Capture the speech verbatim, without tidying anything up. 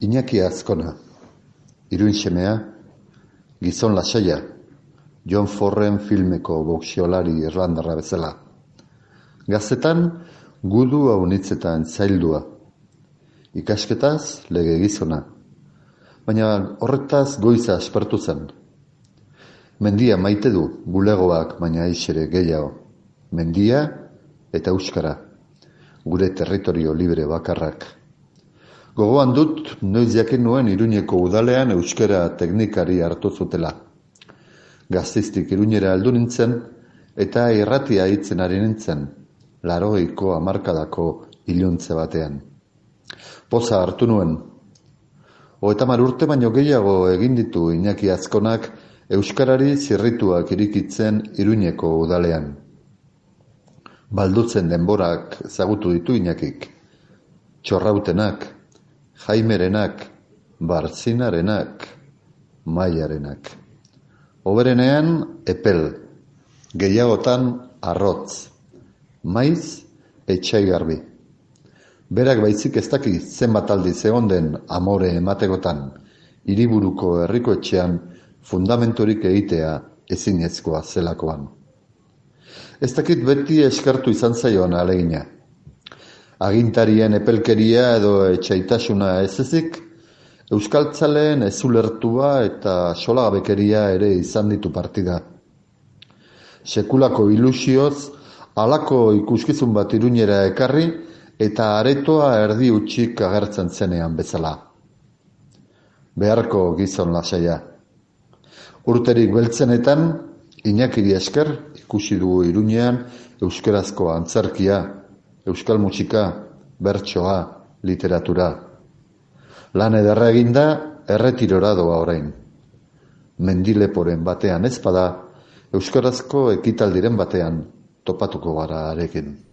Iñaki Azkona, iruin semea, gizon lasaia, John Forren filmeko boxeolari irlandarra bezala. Gaztetan, gudu haunitzetan zaildua. Ikasketaz, lege gizona. Baina horretaz goiza aspertu zen. Mendia maite du, bulegoak baina aixere gehiago. Mendia eta euskara, gure territorio libre bakarrak. Gogoan dut, noiz jakin nuen Iruñeko udalean euskara teknikari hartu zutela. Gazteiztik Iruñera heldu nintzen eta irratia hitzen ari nintzen, larogeiko hamarkadako iluntze batean. Poza hartu nuen. Hogetamar urte baino gehiago egin ditu Iñaki Azkonak euskarari zirrituak irikitzen Iruñeko udalean. Baldutzen denborak ezagutu ditu Iñakik. Txorrautenak, Jaimerenak, Bartzinarenak, Maiarenak. Oberenean epel, gehiagotan arrotz, maiz etxaigarbi. Berak baizik ez daki zenbat aldiz egon den amore emategotan, hiriburuko herriko etxean fundamentorik egitea ezinezkoa zelakoan. Ez dakit beti eskertu izan zaion alegina. Agintarien epelkeria edo etxaitasuna ez ezik, euskaltzaleen ezulertua eta solagabekeria ere izan ditu partida. Sekulako ilusioz, halako ikuskizun bat Iruñera ekarri eta aretoa erdi utxik agertzen zenean bezala. Beharko gizon lasaia. Urterik beltzenetan, Iñakiri esker ikusi dugu Iruñean euskarazko antzerkia, euskal musika, bertsoa, literatura. Lan ederra eginda, erretirora doa orain. Mendileporen batean ezpada, euskarazko ekitaldiren batean topatuko gara arekin.